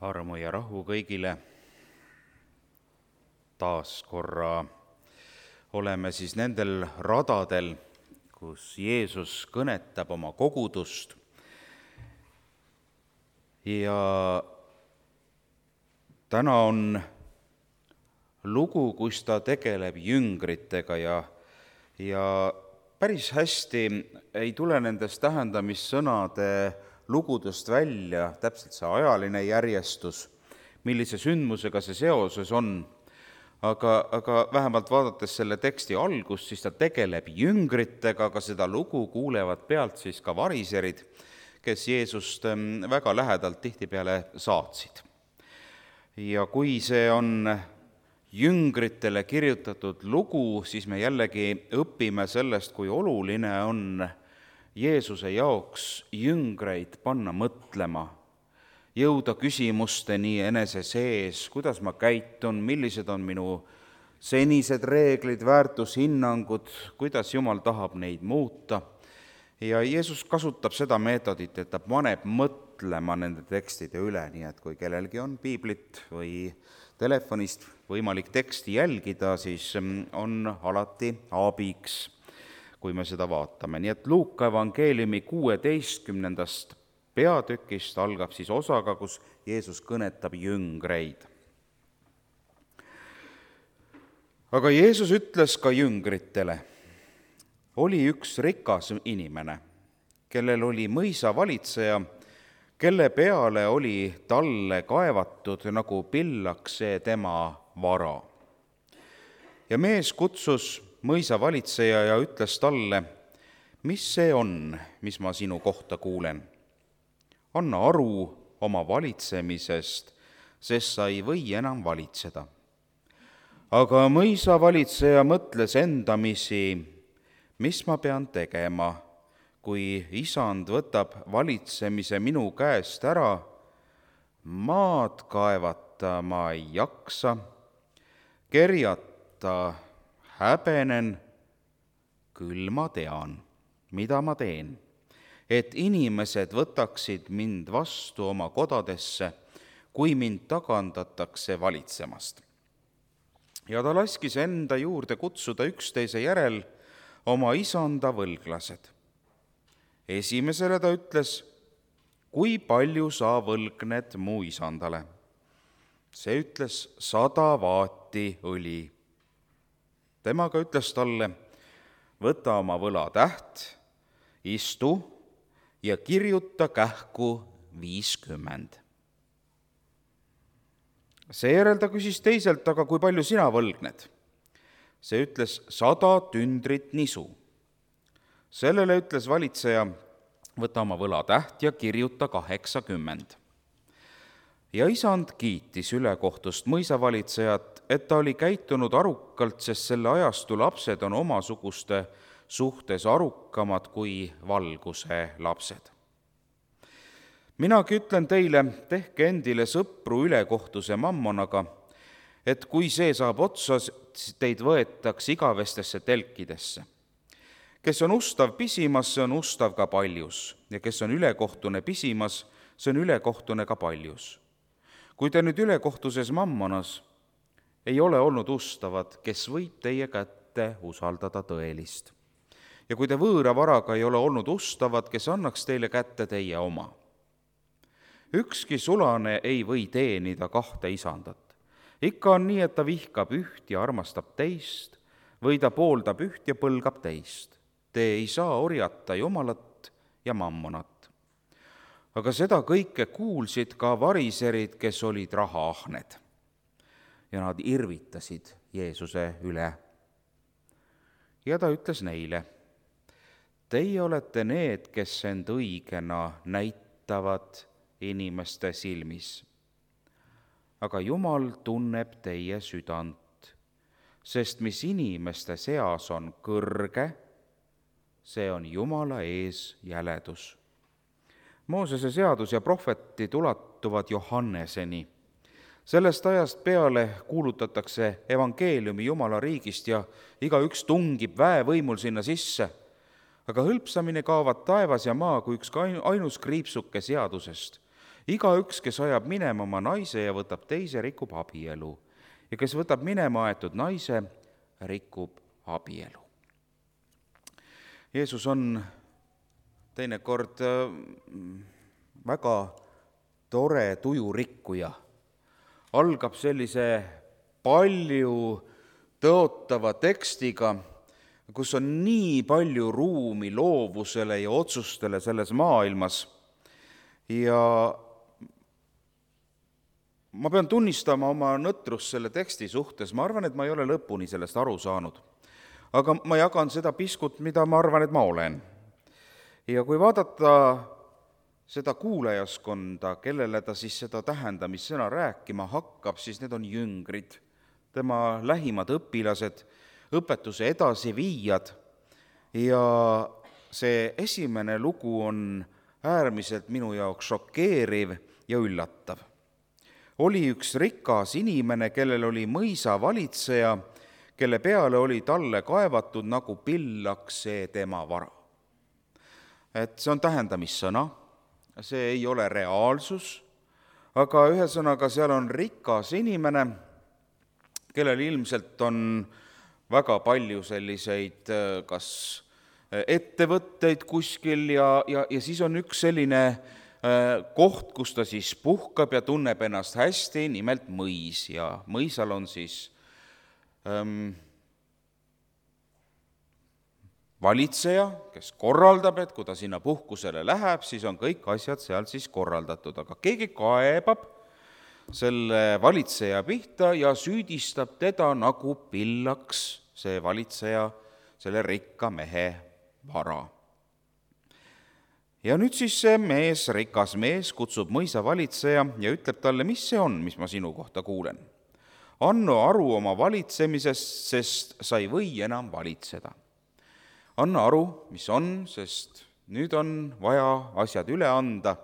Armu ja rahu kõigile. Taas korra oleme siis nendel radadel, kus Jeesus kõnetab oma kogudust. Ja täna on lugu, kus ta tegeleb jüngritega ja päris hästi ei tule nendest tähendamissõnade lugudest välja täpselt see ajaline järjestus, millise sündmusega see seoses on. Aga vähemalt vaadates selle teksti algust, siis ta tegeleb jüngritega, aga seda lugu kuulevad pealt siis ka variserid, kes Jeesust väga lähedalt tihtipeale saatsid. Ja kui see on jüngritele kirjutatud lugu, siis me jällegi õpime sellest, kui oluline on Jeesuse jaoks jüngreid panna mõtlema, jõuda küsimusteni enese sees, kuidas ma käitun, millised on minu senised reeglid, väärtushinnangud, kuidas Jumal tahab neid muuta. Ja Jeesus kasutab seda meetodit, et ta paneb mõtlema nende tekstide üle, nii et kui kellelgi on piiblit või telefonist võimalik teksti jälgida, siis on alati abiks, kui me seda vaatame. Nii et Luuka evangeeliumi 16. peatükist algab siis osaga, kus Jeesus kõnetab jüngreid. Aga Jeesus ütles ka jüngritele, oli üks rikas inimene, kellel oli mõisavalitseja, kelle peale oli talle kaevatud nagu pillaks see tema vara. Ja mees kutsus mõisavalitseja ja ütles talle, mis see on, mis ma sinu kohta kuulen? Anna aru oma valitsemisest, sest sa ei või enam valitseda. Aga mõisavalitseja mõtles endamisi, mis ma pean tegema, kui isand võtab valitsemise minu käest ära, maad kaevata ma ei jaksa, kerjata häbenen, küll ma tean, mida ma teen, et inimesed võtaksid mind vastu oma kodadesse, kui mind tagandatakse valitsemast. Ja ta laskis enda juurde kutsuda üksteise järel oma isanda võlglased. Esimesele ta ütles, kui palju sa võlgned mu isandale? See ütles 100 vaati õli. Temaga ütles talle, võta oma võlatäht, istu ja kirjuta kähku 50. Seejärel ta küsis teiselt, aga kui palju sina võlgned? See ütles 100 tündrit nisu. Sellele ütles valitseja, võta oma võlatäht ja kirjuta 80. Ja isand kiitis ülekohtust mõisavalitsejat, et ta oli käitunud arukalt, sest selle ajastu lapsed on omasuguste suhtes arukamad kui valguse lapsed. Minagi ütlen teile, tehke endile sõpru ülekohtuse mammonaga, et kui see saab otsa, teid võetaks igavestesse telkidesse. Kes on ustav pisimas, see on ustav ka paljus, ja kes on ülekohtune pisimas, see on ülekohtune ka paljus. Kui te nüüd ülekohtuses mammonas ei ole olnud ustavad, kes võib teie kätte usaldada tõelist. Ja kui te võõra varaga ei ole olnud ustavad, kes annaks teile kätte teie oma. Ükski sulane ei või teenida 2 isandat. Ikka on nii, et ta vihkab üht ja armastab teist, või ta pooldab üht ja põlgab teist. Te ei saa orjata Jumalat ja mammonat. Aga seda kõike kuulsid ka variserid, kes olid rahaahned. Ja nad irvitasid Jeesuse üle. Ja ta ütles neile, teie olete need, kes end õigena näitavad inimeste silmis. Aga Jumal tunneb teie südant, sest mis inimeste seas on kõrge, see on Jumala ees jäledus. Moosese seadus ja prohvetid ulatuvad Johanneseni. Sellest ajast peale kuulutatakse evangeeliumi Jumala riigist ja igaüks tungib väevõimul sinna sisse. Aga hõlpsamini kaovad taevas ja maa kui üks ainus kriipsuke seadusest igaüks, kes ajab minema oma naise ja võtab teise, rikub abielu. Ja kes võtab minema aetud naise, rikub abielu. Jeesus on teinekord väga tore tujurikkuja. Algab sellise palju tõotava tekstiga, kus on nii palju ruumi loovusele ja otsustele selles maailmas. Ja ma pean tunnistama oma nõtrust selle teksti suhtes. Ma arvan, et ma ei ole lõpuni sellest aru saanud. Aga ma jagan seda piskut, mida ma arvan, et ma olen. Ja kui vaadata seda kuulajaskonda, kellele ta siis seda tähendamissõna rääkima hakkab, siis need on jüngrid, tema lähimad õpilased, õpetuse edasiviijad. Ja see esimene lugu on äärmiselt minu jaoks šokeeriv ja üllatav. Oli üks rikas inimene, kellel oli mõisavalitseja, kelle peale oli talle kaevatud nagu pillaks see tema vara. Et see on tähendamissõna, see ei ole reaalsus, aga ühesõnaga seal on rikas inimene, kellel ilmselt on väga palju selliseid kas ettevõtteid kuskil ja siis on üks selline koht, kus ta siis puhkab ja tunneb ennast hästi, nimelt mõis. Ja mõisal on siis valitseja, kes korraldab, et kui ta sinna puhkusele läheb, siis on kõik asjad seal siis korraldatud. Aga keegi kaebab selle valitseja pihta ja süüdistab teda nagu pillaks see valitseja, selle rikka mehe vara. Ja nüüd siis see mees, rikas mees, kutsub mõisavalitseja ja ütleb talle, mis see on, mis ma sinu kohta kuulen. Anna aru oma valitsemisest, sest sa ei või enam valitseda. Anna aru, mis on, sest nüüd on vaja asjad üle anda,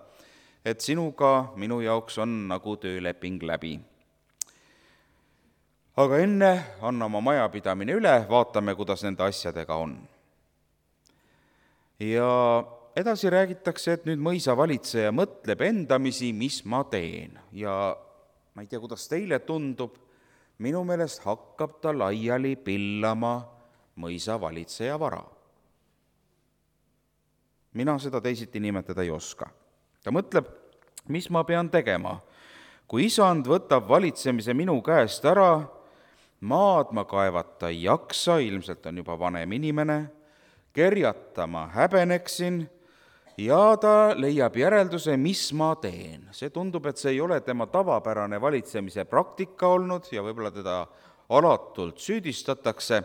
et sinuga minu jaoks on nagu tööleping läbi. Aga enne anna oma majapidamine üle, vaatame, kuidas nende asjadega on. Ja edasi räägitakse, et nüüd mõisavalitseja mõtleb endamisi, mis ma teen. Ja ma ei tea, kuidas teile tundub, minu meelest hakkab ta laiali pillama mõisavalitseja vara. Mina seda teisiti nimetada ei oska. Ta mõtleb, mis ma pean tegema. Kui isand võtab valitsemise minu käest ära, maad ma kaevata ei jaksa, ilmselt on juba vanem inimene, kerjata ma häbeneksin ja ta leiab järelduse, mis ma teen. See tundub, et see ei ole tema tavapärane valitsemise praktika olnud ja võib-olla teda alatult süüdistatakse,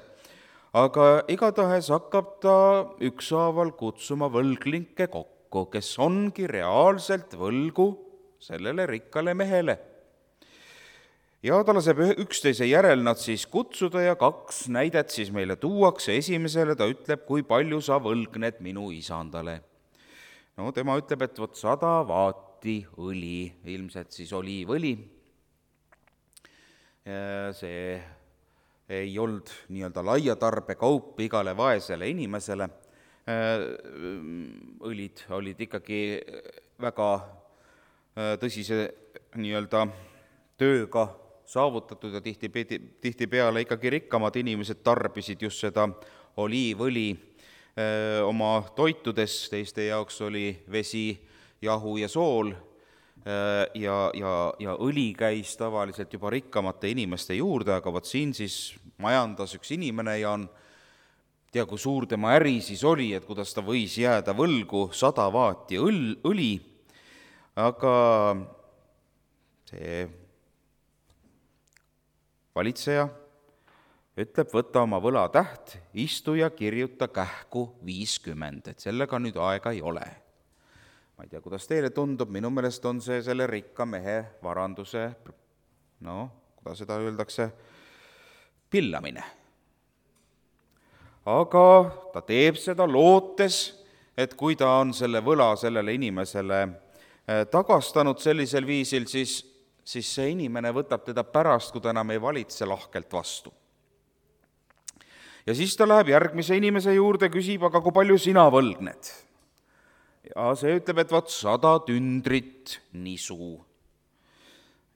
aga igatahes hakkab ta ükshaaval kutsuma võlglinke kokku, kes ongi reaalselt võlgu sellele rikkale mehele. Ja ta laseb 11 järel nad siis kutsuda ja 2 näidet siis meile tuuakse. Esimesele ta ütleb, kui palju sa võlgned minu isandale. No tema ütleb, et 100 vaati õli, ilmselt siis oliivõli. See ei olnud nii-öelda laiatarbekaup igale vaesele inimesele. Õlid olid ikkagi väga tõsise nii-öelda tööga saavutatud ja tihtipeale ikkagi rikkamad inimesed tarbisid just seda oliivõli oma toitudes, teiste jaoks oli vesi, jahu ja sool ja õli käis tavaliselt juba rikkamate inimeste juurde, aga vot siin siis majandas üks inimene ja on, tea kui suur tema äri siis oli, et kuidas ta võis jääda võlgu 100 vaati õli, aga see valitseja ütleb, võta oma võlatäht, istu ja kirjuta kähku 50, et sellega nüüd aega ei ole. Ma ei tea, kuidas teile tundub, minu meelest on see selle rikka mehe varanduse, kuidas seda öeldakse, pillamine. Aga ta teeb seda lootes, et kui ta on selle võla sellele inimesele tagastanud sellisel viisil, siis see inimene võtab teda pärast, kui ta enam ei valitse, lahkelt vastu. Ja siis ta läheb järgmise inimese juurde, küsib, aga kui palju sina võlgned? ja see ütleb, et 100 tündrit nisu.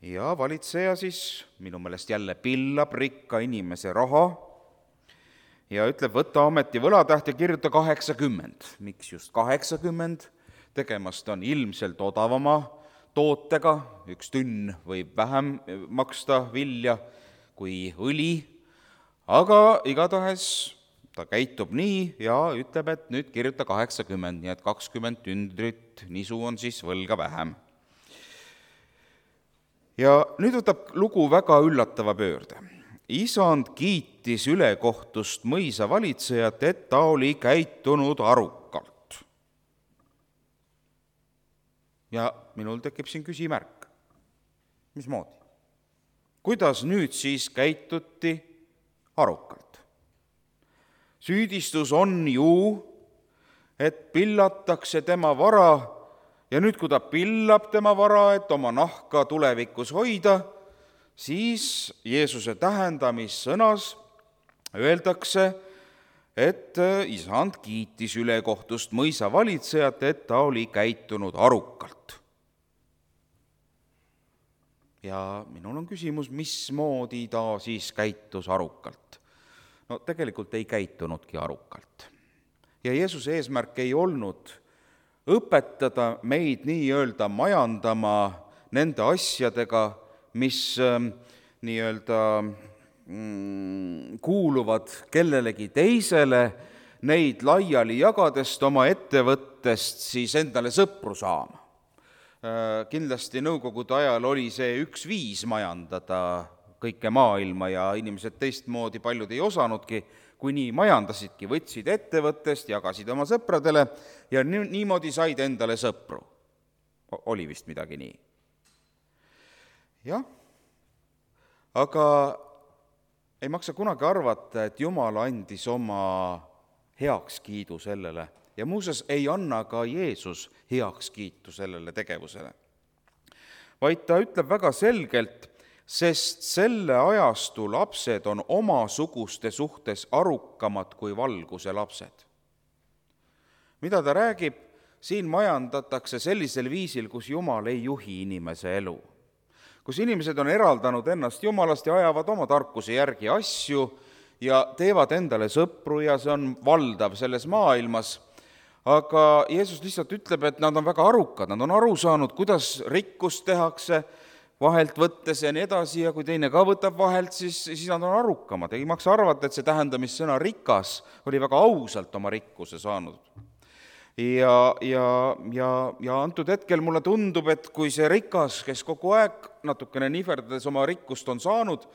Ja valitseja siis minu meelest jälle pillab rikka inimese raha ja ütleb, võta ometi võlatäht ja kirjuta 80. Miks just 80? Tegemast on ilmselt odavama tootega, 1 tünn võib vähem maksta vilja kui õli, aga igatahes ta käitub nii ja ütleb, et nüüd kirjuta 80, nii et 20 tündrit nisu on siis võlga vähem. Ja nüüd võtab lugu väga üllatava pöörde. Isand kiitis ülekohtust mõisa valitsejat, et ta oli käitunud arukalt. Ja minul tekib siin küsimärk. Mismoodi? Kuidas nüüd siis käituti arukalt? Süüdistus on ju, et pillatakse tema vara ja nüüd, kui ta pillab tema vara, et oma nahka tulevikus hoida, siis Jeesuse tähendamissõnas öeldakse, et isand kiitis ülekohtust mõisa valitsejat, et ta oli käitunud arukalt. Ja minul on küsimus, mismoodi ta siis käitus arukalt? No tegelikult ei käitunudki arukalt. Ja Jeesuse eesmärk ei olnud õpetada meid nii-öelda majandama nende asjadega, mis nii-öelda kuuluvad kellelegi teisele, neid laiali jagadest oma ettevõttest siis endale sõpru saama. Kindlasti nõukogude ajal oli see üks viis majandada kõike maailma ja inimesed teistmoodi paljud ei osanudki, kui nii majandasidki, võtsid ettevõttest, jagasid oma sõpradele ja niimoodi said endale sõpru. Oli vist midagi nii. Jah, aga ei maksa kunagi arvata, et Jumal andis oma heakskiidu sellele ja muuseas ei anna ka Jeesus heakskiitu sellele tegevusele. Vaid ta ütleb väga selgelt, sest selle ajastu lapsed on omasuguste suhtes arukamad kui valguse lapsed. Mida ta räägib? Siin majandatakse sellisel viisil, kus Jumal ei juhi inimese elu. Kus inimesed on eraldanud ennast Jumalast ja ajavad oma tarkuse järgi asju ja teevad endale sõpru ja see on valdav selles maailmas. Aga Jeesus lihtsalt ütleb, et nad on väga arukad, nad on aru saanud, kuidas rikkust tehakse, vahelt võttes ja nii edasi, ja kui teine ka võtab vahelt, siis nad on arukamad. Ei maksa arvata, et see tähendamissõna rikas oli väga ausalt oma rikkuse saanud. Ja antud hetkel mulle tundub, et kui see rikas, kes kogu aeg natukene nihverdades oma rikkust on saanud,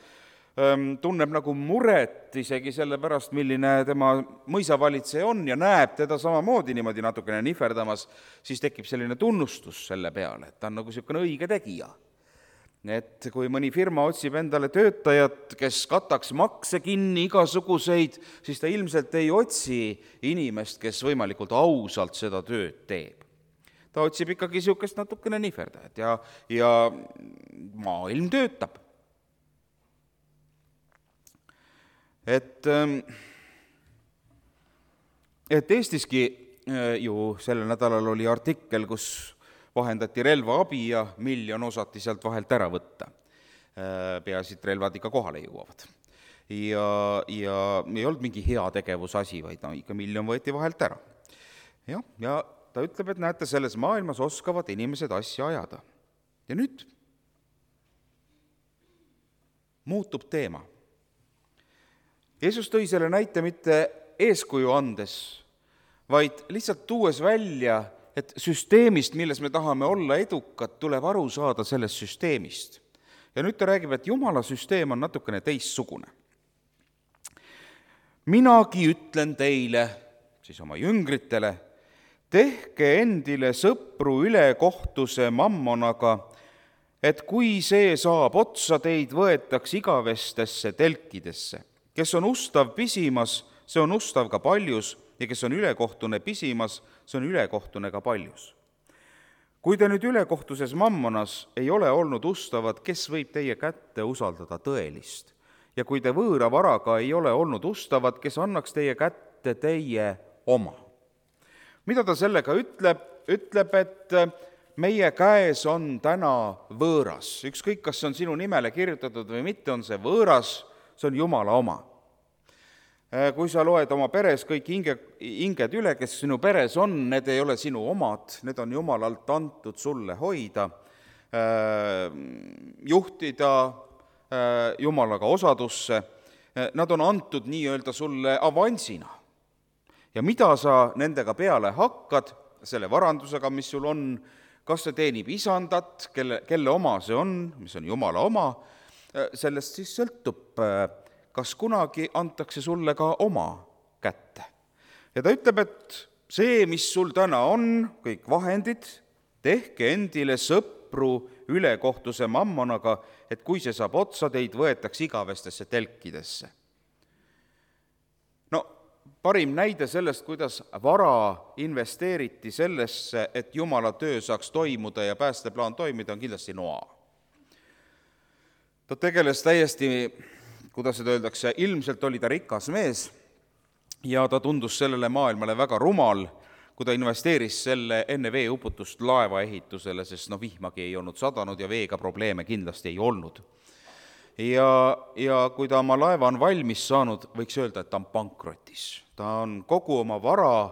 tunneb nagu muret isegi selle pärast, milline tema mõisavalitseja on ja näeb teda samamoodi niimoodi natukene nihverdamas, siis tekib selline tunnustus selle peale, et ta on nagu niisugune õige tegija. Et kui mõni firma otsib endale töötajat, kes kataks makse kinni igasuguseid, siis ta ilmselt ei otsi inimest, kes võimalikult ausalt seda tööd teeb. Ta otsib ikkagi niisugust natukene nihverdajat ja maailm töötab. Et Eestiski ju sellel nädalal oli artikkel, kus vahendati relvaabi ja 1 miljon osati sealt vahelt ära võtta. Peaasi, et relvad ikka kohale jõuavad. Ja ei olnud mingi hea tegevusasi, vaid ikka 1 miljon võeti vahelt ära. Ja ta ütleb, et näete, selles maailmas oskavad inimesed asja ajada. Ja nüüd muutub teema. Jeesus tõi selle näite mitte eeskuju andes, vaid lihtsalt tuues välja, et süsteemist, milles me tahame olla edukad, tuleb aru saada sellest süsteemist. Ja nüüd ta räägib, et Jumala süsteem on natukene teistsugune. Minagi ütlen teile, siis oma jüngritele, tehke endile sõpru ülekohtuse mammonaga, et kui see saab otsa, teid võetaks igavestesse telkidesse. Kes on ustav pisimas, see on ustav ka paljus, ja kes on ülekohtune pisimas, see on ülekohtune ka paljus. Kui te nüüd ülekohtuses mammonas ei ole olnud ustavad, kes võib teie kätte usaldada tõelist? Ja kui te võõra varaga ei ole olnud ustavad, kes annaks teie kätte teie oma? Mida ta sellega ütleb? ütleb, et meie käes on täna võõras. Ükskõik, kas see on sinu nimele kirjutatud või mitte, on see võõras, see on Jumala oma. Kui sa loed oma peres kõik hinged üle, kes sinu peres on, need ei ole sinu omad, need on Jumalalt antud sulle hoida, juhtida Jumalaga osadusse, nad on antud nii-öelda sulle avansina. Ja mida sa nendega peale hakkad, selle varandusega, mis sul on, kas see teenib isandat, kelle oma see on, mis on Jumala oma, sellest siis sõltub, kas kunagi antakse sulle ka oma kätte. Ja ta ütleb, et see, mis sul täna on, kõik vahendid, tehke endile sõpru ülekohtuse mammonaga, et kui see saab otsa, teid võetakse igavestesse telkidesse. No, parim näide sellest, kuidas vara investeeriti sellesse, et Jumala töö saaks toimuda ja päästeplaan toimida, on kindlasti Noa. Ta tegeles täiesti, kuidas seda öeldakse, ilmselt oli ta rikas mees ja ta tundus sellele maailmale väga rumal, kui ta investeeris selle enne veeuputust laeva ehitusele, sest vihmagi ei olnud sadanud ja veega probleeme kindlasti ei olnud. Ja kui ta oma laeva on valmis saanud, võiks öelda, et ta on pankrotis. Ta on kogu oma vara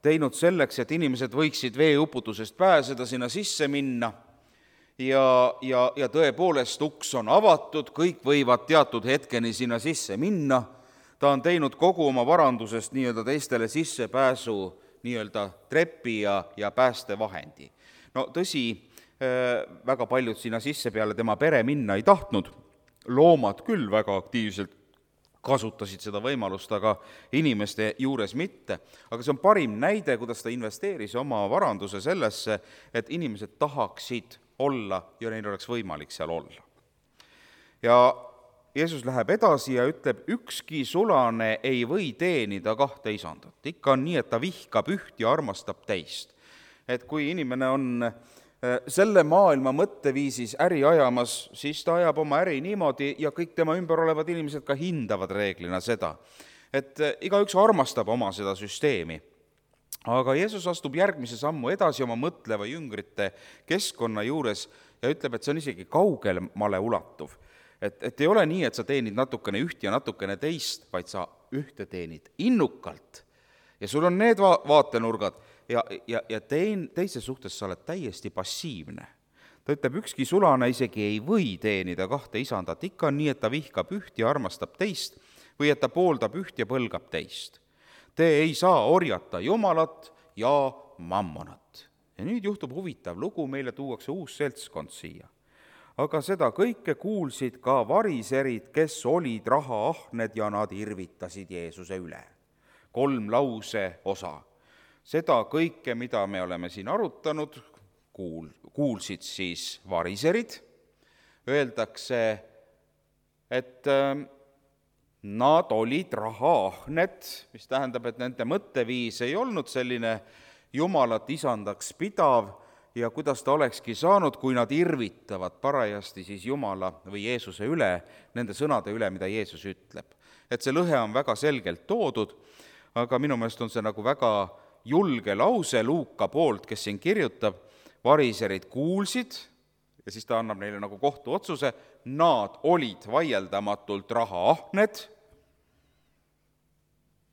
teinud selleks, et inimesed võiksid veeuputusest pääseda, sinna sisse minna, ja tõepoolest uks on avatud, kõik võivad teatud hetkeni sinna sisse minna, ta on teinud kogu oma varandusest nii-öelda teistele sissepääsu nii-öelda trepi ja päästevahendi. No tõsi, väga paljud sinna sisse peale tema pere minna ei tahtnud, loomad küll väga aktiivselt kasutasid seda võimalust, aga inimeste juures mitte. Aga see on parim näide, kuidas ta investeeris oma varanduse sellesse, et inimesed tahaksid olla ja neil oleks võimalik seal olla. Ja Jeesus läheb edasi ja ütleb, ükski sulane ei või teenida kahte isandat. Ikka on nii, et ta vihkab üht ja armastab teist. Et kui inimene on selle maailma mõtteviisis äri ajamas, siis ta ajab oma äri niimoodi ja kõik tema ümber olevad inimesed ka hindavad reeglina seda. Et igaüks armastab oma seda süsteemi. Aga Jeesus astub järgmise sammu edasi oma mõtleva jüngrite keskkonna juures ja ütleb, et see on isegi kaugemale ulatuv. Et ei ole nii, et sa teenid natukene üht ja natukene teist, vaid sa ühte teenid innukalt. Ja sul on need vaatenurgad ja teise suhtes sa oled täiesti passiivne. Ta ütleb, ükski sulane isegi ei või teenida kahte isandat. Ikka on nii, et ta vihkab üht ja armastab teist või et ta pooldab üht ja põlgab teist. Te ei saa orjata Jumalat ja mammonat. Ja nüüd juhtub huvitav lugu, meile tuuakse uus seltskond siia. Aga seda kõike kuulsid ka variserid, kes olid rahaahned ja nad irvitasid Jeesuse üle. 3 lause osa. Seda kõike, mida me oleme siin arutanud, kuulsid siis variserid. Öeldakse, et nad olid rahaahned, mis tähendab, et nende mõtteviis ei olnud selline Jumalat isandaks pidav ja kuidas ta olekski saanud, kui nad irvitavad parajasti siis Jumala või Jeesuse üle, nende sõnade üle, mida Jeesus ütleb. Et see lõhe on väga selgelt toodud, aga minu meelest on see nagu väga julge lause Luuka poolt, kes siin variserid kuulsid, ja siis ta annab neile nagu kohtuotsuse, nad olid vaieldamatult rahaahned,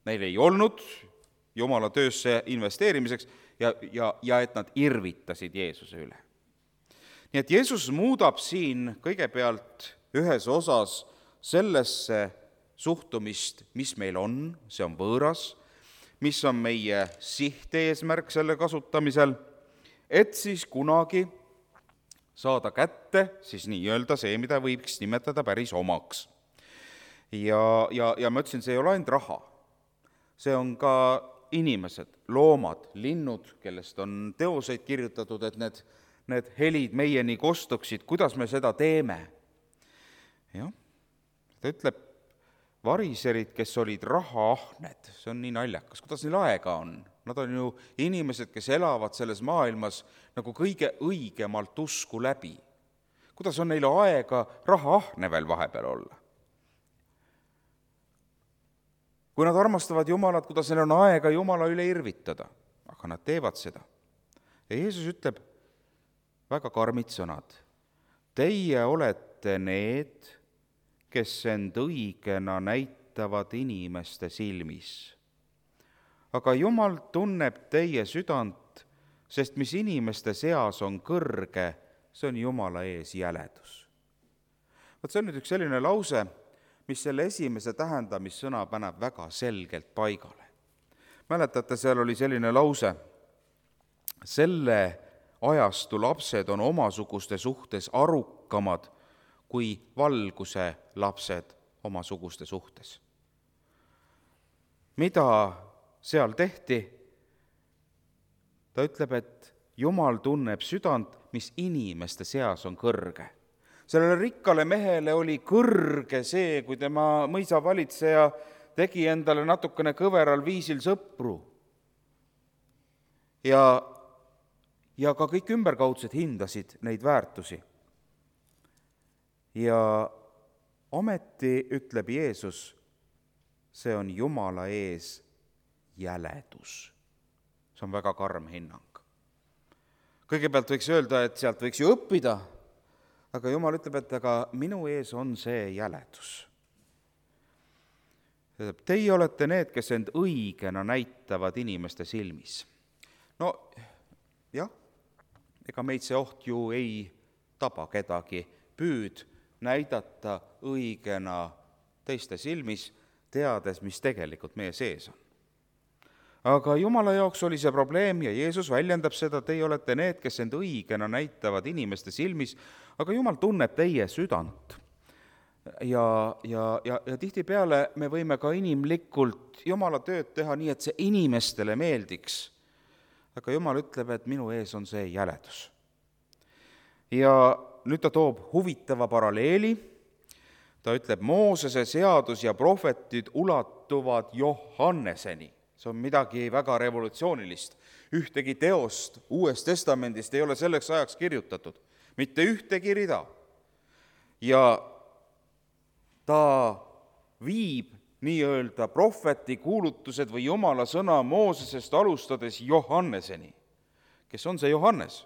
neil ei olnud Jumala töösse investeerimiseks ja et nad irvitasid Jeesuse üle. Nii et Jeesus muudab siin kõigepealt ühes osas sellesse suhtumist, mis meil on, see on võõras, mis on meie sihteesmärk selle kasutamisel, et siis kunagi saada kätte siis nii-öelda see, mida võiks nimetada päris omaks. Ja ma ütlesin, see ei ole ainult raha. See on ka inimesed, loomad, linnud, kellest on teoseid kirjutatud, et need helid meieni kostuksid, kuidas me seda teeme. Jah, ta ütleb, variserid, kes olid rahaahned, see on nii naljakas, kuidas neil aega on. Nad on ju inimesed, kes elavad selles maailmas nagu kõige õigemalt usku läbi. Kuidas on neil aega rahaahne veel vahepeal olla? Kui nad armastavad Jumalat, kuidas neil on aega Jumala üle irvitada, aga nad teevad seda. ja Jeesus ütleb väga karmid sõnad. Teie olete need, kes end õigena näitavad inimeste silmis. Aga Jumal tunneb teie südant, sest mis inimeste seas on kõrge, see on Jumala ees jäledus. Vot see on nüüd üks selline lause, mis selle esimese tähendamissõna paneb väga selgelt paigale. Mäletate, seal oli selline lause, selle ajastu lapsed on omasuguste suhtes arukamad kui valguse lapsed omasuguste suhtes. Mida seal tehti? Ta ütleb, et Jumal tunneb südant, mis inimeste seas on kõrge. Sellele rikkale mehele oli kõrge see, kui tema mõisavalitseja tegi endale natukene kõveral viisil sõpru. Ja ka kõik ümberkaudsed hindasid neid väärtusi. Ja ometi ütleb Jeesus, see on Jumala ees jäledus. See on väga karm hinnang. Kõigepealt võiks öelda, et sealt võiks ju õppida, aga Jumal ütleb, et aga minu ees on see jäledus. Teie olete need, kes end õigena näitavad inimeste silmis. No jah, ega meid see oht ju ei taba kedagi, püüd näidata õigena teiste silmis, teades, mis tegelikult meie sees on. Aga Jumala jaoks oli see probleem ja Jeesus väljendab seda, teie olete need, kes end õigena näitavad inimeste silmis, aga Jumal tunneb teie südant. Ja tihtipeale me võime ka inimlikult Jumala tööd teha nii, et see inimestele meeldiks. Aga Jumal ütleb, et minu ees on see jäledus. Ja nüüd ta toob huvitava paralleeli. Ta ütleb, Moosese seadus ja prohvetid ulatuvad Johanneseni. See on midagi väga revolutsioonilist. Ühtegi teost Uuest Testamendist ei ole selleks ajaks kirjutatud. Mitte ühtegi rida. Ja ta viib nii-öelda prohveti kuulutused või Jumala sõna Moosesest alustades Johanneseni. Kes on see Johannes?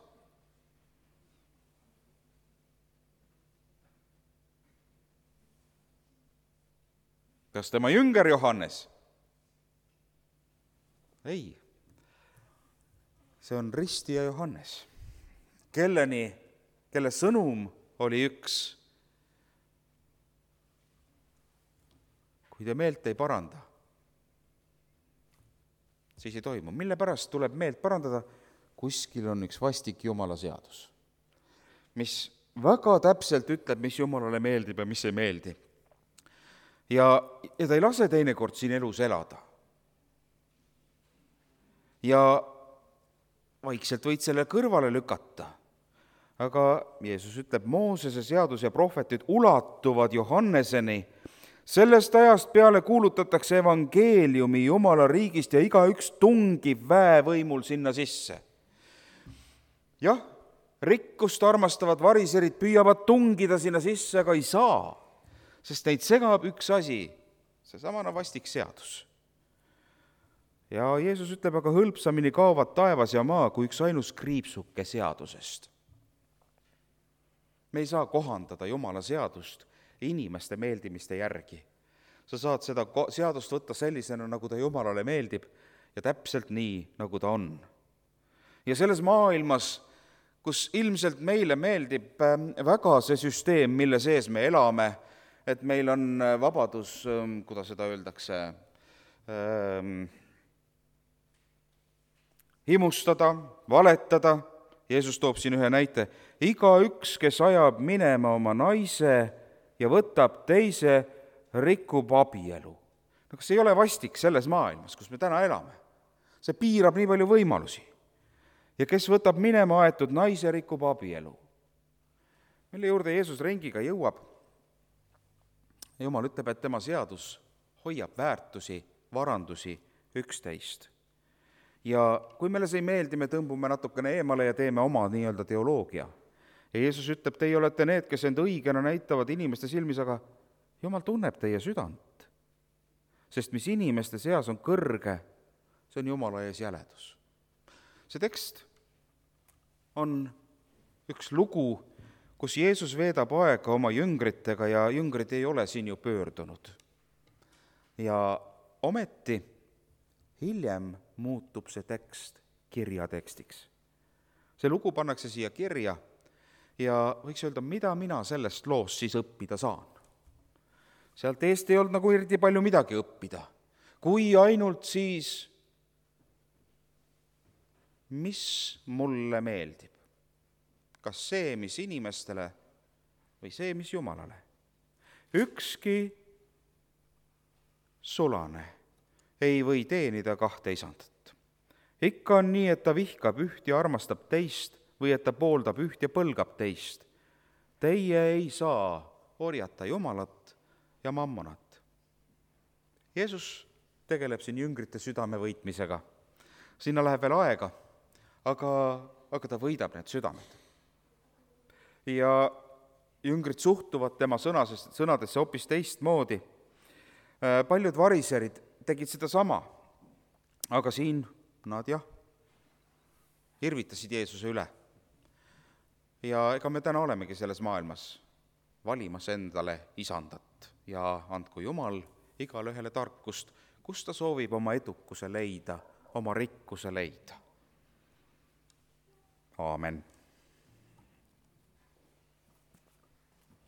Kas tema jünger Johannes? Ei. See on ristija Johannes, kelle sõnum oli üks. Kui te meelt ei paranda, siis ei toimu. Mille pärast tuleb meelt parandada? Kuskil on üks vastik Jumala seadus, mis väga täpselt ütleb, mis Jumalale meeldib ja mis ei meeldi. Ja ta ei lase teinekord siin elus elada. Ja vaikselt võid selle kõrvale lükata. Aga Jeesus ütleb, Moosese seadus ja prohvetid ulatuvad Johanneseni. Sellest ajast peale kuulutatakse evangeeliumi Jumala riigist ja igaüks tungib väevõimul sinna sisse. Jah, rikkust armastavad variserid püüavad tungida sinna sisse, aga ei saa, sest neid segab üks asi, seesamana vastik seadus. Ja Jeesus ütleb, aga hõlpsamini kaovad taevas ja maa kui üks ainus kriipsuke seadusest. Me ei saa kohandada Jumala seadust inimeste meeldimiste järgi. Sa saad seda seadust võtta sellisena, nagu ta Jumalale meeldib ja täpselt nii, nagu ta on. Ja selles maailmas, kus ilmselt meile meeldib väga see süsteem, mille sees me elame, et meil on vabadus, kuidas seda öeldakse, himustada, valetada. Jeesus toob siin ühe näite. Igaüks, kes ajab minema oma naise ja võtab teise, rikub abielu. No kas ei ole vastik selles maailmas, kus me täna elame? See piirab nii palju võimalusi. Ja kes võtab minema aetud naise, rikub abielu. Mille juurde Jeesus ringiga jõuab? Jumal ütleb, et tema seadus hoiab väärtusi, varandusi 11. Ja kui meile see ei meeldi, me tõmbume natukene eemale ja teeme oma nii-öelda teoloogia. Ja Jeesus ütleb, teie olete need, kes end õigena näitavad inimeste silmis, aga Jumal tunneb teie südant. Sest mis inimeste seas on kõrge, see on Jumala ees jäledus. See tekst on üks lugu, kus Jeesus veedab aega oma jüngritega ja jüngrid ei ole siin ju pöördunud. Ja ometi hiljem muutub see tekst kirjatekstiks. See lugu pannakse siia kirja ja võiks öelda, mida mina sellest loost siis õppida saan. Sealt eest ei olnud nagu eriti palju midagi õppida, kui ainult siis, mis mulle meeldib. Kas see, mis inimestele või see, mis Jumalale. Ükski sulane ei või teenida kahte isandat. Ikka on nii, et ta vihkab üht ja armastab teist või et ta pooldab üht ja põlgab teist. Teie ei saa orjata Jumalat ja mammonat. Jeesus tegeleb siin jüngrite südame võitmisega. Sinna läheb veel aega, aga ta võidab need südamed. Ja jüngrid suhtuvad tema sõnadesse hoopis teistmoodi. Paljud variserid tegid seda sama, aga siin nad irvitasid Jeesuse üle. Ja ega me täna olemegi selles maailmas valimas endale isandat ja andku Jumal igale ühele tarkust, kus ta soovib oma edukuse leida, oma rikkuse leida. Aamen.